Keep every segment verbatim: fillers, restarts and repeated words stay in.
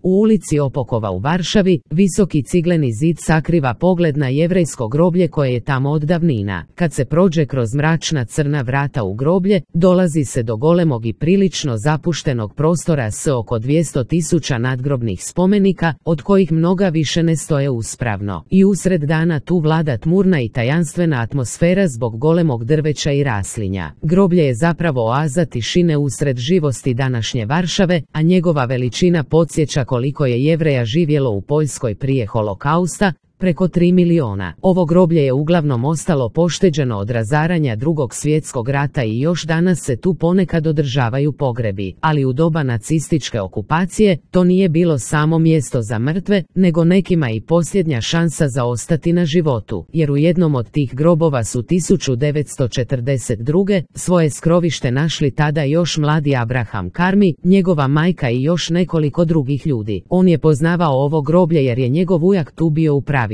U ulici Opokova u Varšavi, visoki cigleni zid sakriva pogled na jevrejsko groblje koje je tamo od davnina. Kad se prođe kroz mračna crna vrata u groblje, dolazi se do golemog i prilično zapuštenog prostora s oko dvjesto tisuća nadgrobnih spomenika, od kojih mnoga više ne stoje uspravno. I usred dana tu vlada tmurna i tajanstvena atmosfera zbog golemog drveća i raslinja. Groblje je zapravo oaza tišine usred živosti današnje Varšave, a njegova veličina podsjeća koliko je Jevreja živjelo u Poljskoj prije holokausta, preko tri miliona. Ovo groblje je uglavnom ostalo pošteđeno od razaranja Drugog svjetskog rata i još danas se tu ponekad održavaju pogrebi, ali u doba nacističke okupacije to nije bilo samo mjesto za mrtve, nego nekima i posljednja šansa za ostati na životu, jer u jednom od tih grobova su tisuću devetsto četrdeset druge svoje skrovište našli tada još mladi Abraham Karmi, njegova majka i još nekoliko drugih ljudi. On je poznavao ovo groblje jer je njegov ujak tu bio upravitelj.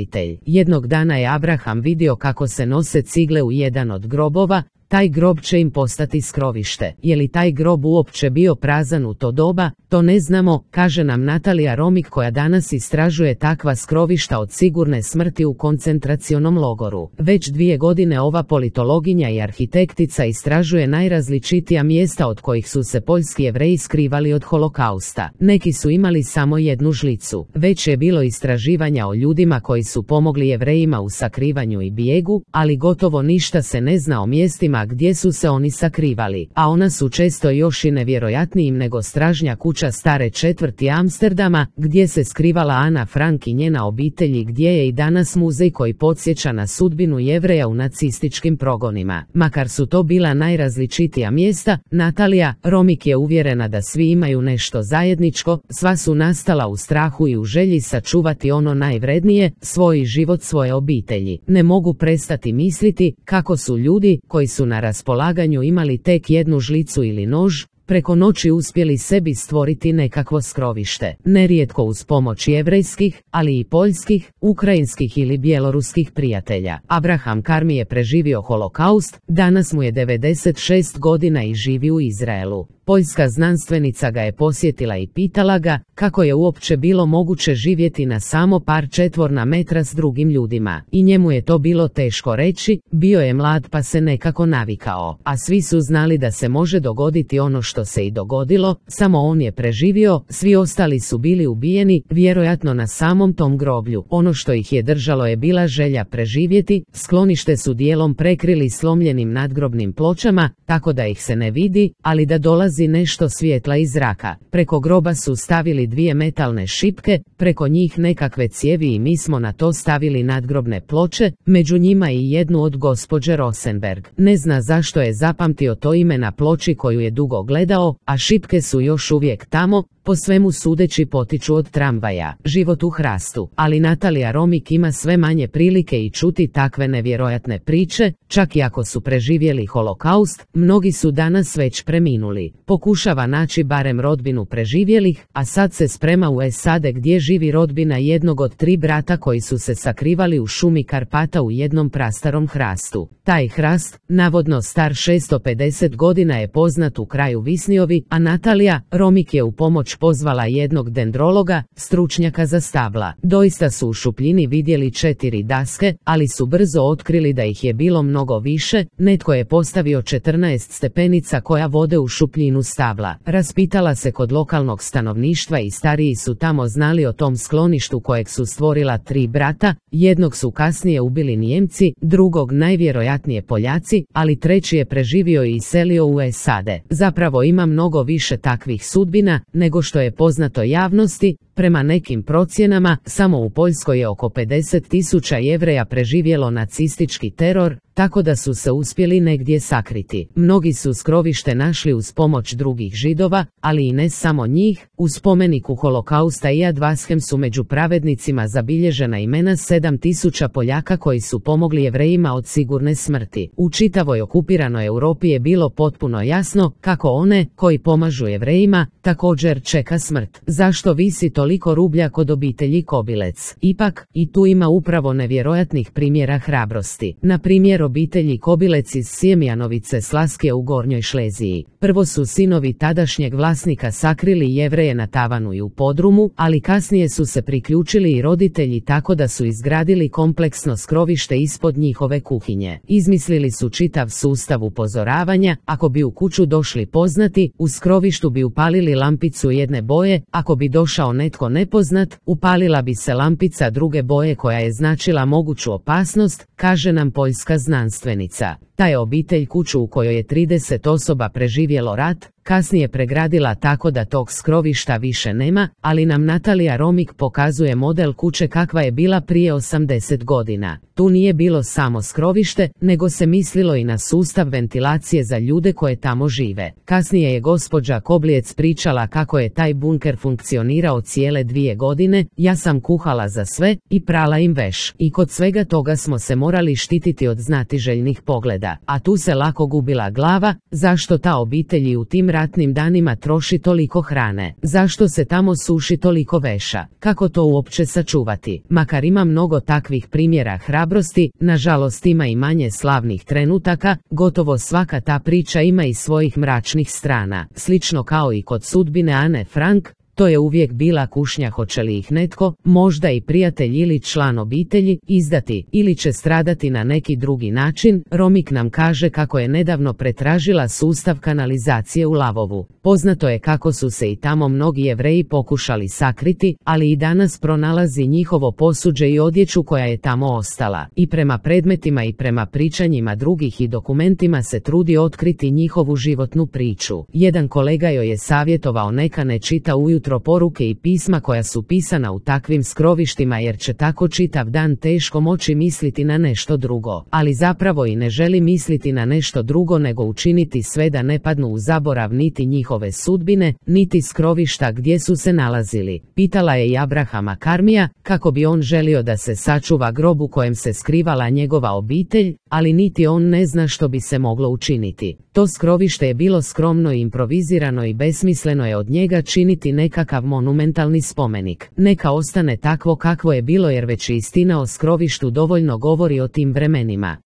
Jednog dana je Abraham vidio kako se nose cigle u jedan od grobova. Taj grob će im postati skrovište. Je li taj grob uopće bio prazan u to doba? To ne znamo, kaže nam Natalija Romik koja danas istražuje takva skrovišta od sigurne smrti u koncentracionom logoru. Već dvije godine ova politologinja i arhitektica istražuje najrazličitija mjesta od kojih su se poljski Jevreji skrivali od holokausta. Neki su imali samo jednu žlicu. Već je bilo istraživanja o ljudima koji su pomogli Jevrejima u sakrivanju i bijegu, ali gotovo ništa se ne zna o mjestima gdje su se oni sakrivali, a ona su često još i nevjerojatnijim nego stražnja kuća stare četvrti Amsterdama, gdje se skrivala Ana Frank i njena obitelj i gdje je i danas muzej koji podsjeća na sudbinu Jevreja u nacističkim progonima. Makar su to bila najrazličitija mjesta, Natalija Romik je uvjerena da svi imaju nešto zajedničko, sva su nastala u strahu i u želji sačuvati ono najvrednije, svoj život, svoje obitelji. Ne mogu prestati misliti kako su ljudi koji su na raspolaganju imali tek jednu žlicu ili nož, preko noći uspjeli sebi stvoriti nekakvo skrovište, nerijetko uz pomoć jevrejskih, ali i poljskih, ukrajinskih ili bjeloruskih prijatelja. Abraham Karmi je preživio holokaust, danas mu je devedeset šest godina i živi u Izraelu. Poljska znanstvenica ga je posjetila i pitala ga kako je uopće bilo moguće živjeti na samo par četvorna metra s drugim ljudima. I njemu je to bilo teško reći, bio je mlad pa se nekako navikao, a svi su znali da se može dogoditi ono što se i dogodilo, samo on je preživio, svi ostali su bili ubijeni, vjerojatno na samom tom groblju. Ono što ih je držalo je bila želja preživjeti, sklonište su dijelom prekrili slomljenim nadgrobnim pločama, tako da ih se ne vidi, ali da dolazi nešto svjetla iz zraka. Preko groba su stavili dvije metalne šipke, preko njih nekakve cijevi i mi smo na to stavili nadgrobne ploče, među njima i jednu od gospođe Rosenberg. Ne zna zašto je zapamtio to ime na ploči koju je dugo gledao, a šipke su još uvijek tamo, po svemu sudeći potiču od tramvaja. Život u hrastu, ali Natalija Romik ima sve manje prilike i čuti takve nevjerojatne priče, čak i ako su preživjeli holokaust, mnogi su danas već preminuli. Pokušava naći barem rodbinu preživjelih, a sad se sprema u S A D gdje živi rodbina jednog od tri brata koji su se sakrivali u šumi Karpata u jednom prastarom hrastu. Taj hrast, navodno star šesto pedeset godina, je poznat u kraju Visniovi, a Natalija Romik je u pomoć pozvala jednog dendrologa, stručnjaka za stabla. Doista su u šupljini vidjeli četiri daske, ali su brzo otkrili da ih je bilo mnogo više. Netko je postavio četrnaest stepenica koja vode u šupljinu stabla. Raspitala se kod lokalnog stanovništva i stariji su tamo znali o tom skloništu kojeg su stvorila tri brata, jednog su kasnije ubili Nijemci, drugog najvjerojatnije Poljaci, ali treći je preživio i iselio u S A D. Zapravo ima mnogo više takvih sudbina nego što je poznato javnosti. Prema nekim procjenama, samo u Poljskoj je oko pedeset tisuća Jevreja preživjelo nacistički teror, tako da su se uspjeli negdje sakriti. Mnogi su skrovište našli uz pomoć drugih Židova, ali i ne samo njih. U spomeniku holokausta i Yad Vashem su među pravednicima zabilježena imena sedam tisuća Poljaka koji su pomogli Jevrejima od sigurne smrti. U čitavoj okupiranoj Europi je bilo potpuno jasno kako one koji pomažu Jevrejima također čeka smrt. Zašto visi to toliko rublja kod obitelji Kobilec. Ipak, i tu ima upravo nevjerojatnih primjera hrabrosti. Na primjer obitelji Kobilec iz Sjemjanovice Slaske u Gornjoj Šleziji. Prvo su sinovi tadašnjeg vlasnika sakrili Jevreje na tavanu i u podrumu, ali kasnije su se priključili i roditelji tako da su izgradili kompleksno skrovište ispod njihove kuhinje. Izmislili su čitav sustav upozoravanja, ako bi u kuću došli poznati, u skrovištu bi upalili lampicu jedne boje, ako bi došao netko nepoznat, upalila bi se lampica druge boje koja je značila moguću opasnost, kaže nam poljska znanstvenica. Ta je obitelj kuću u kojoj je trideset osoba preživjelo rat, kasnije pregradila tako da tog skrovišta više nema, ali nam Natalija Romik pokazuje model kuće kakva je bila prije osamdeset godina. Tu nije bilo samo skrovište, nego se mislilo i na sustav ventilacije za ljude koje tamo žive. Kasnije je gospođa Kobiljec pričala kako je taj bunker funkcionirao cijele dvije godine, ja sam kuhala za sve i prala im veš. I kod svega toga smo se morali štititi od znatiželjnih pogleda, a tu se lako gubila glava, zašto ta obitelj i u tim ratnim danima troši toliko hrane, zašto se tamo suši toliko veša, kako to uopće sačuvati. Makar ima mnogo takvih primjera hrabrosti, nažalost ima i manje slavnih trenutaka, gotovo svaka ta priča ima i svojih mračnih strana. Slično kao i kod sudbine Ane Frank, to je uvijek bila kušnja hoće li ih netko, možda i prijatelj ili član obitelji, izdati ili će stradati na neki drugi način. Romik nam kaže kako je nedavno pretražila sustav kanalizacije u Lavovu. Poznato je kako su se i tamo mnogi Jevreji pokušali sakriti, ali i danas pronalazi njihovo posuđe i odjeću koja je tamo ostala. I prema predmetima i prema pričanjima drugih i dokumentima se trudi otkriti njihovu životnu priču. Jedan kolega joj je savjetovao neka ne čita ujutro poruke i pisma koja su pisana u takvim skrovištima jer će tako čitav dan teško moći misliti na nešto drugo. Ali zapravo i ne želi misliti na nešto drugo nego učiniti sve da ne padnu u zaborav niti njihove sudbine, niti skrovišta gdje su se nalazili. Pitala je i Abrahama Karmija kako bi on želio da se sačuva grob u kojem se skrivala njegova obitelj, ali niti on ne zna što bi se moglo učiniti. To skrovište je bilo skromno i improvizirano i besmisleno je od njega činiti nekakav monumentalni spomenik. Neka ostane takvo kakvo je bilo jer već istina o skrovištu dovoljno govori o tim vremenima.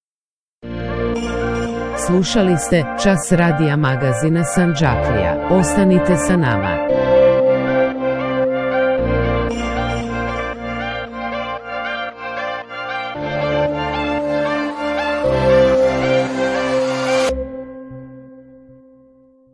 Slušali ste Čas radija magazina Sandžaklija. Ostanite sa nama.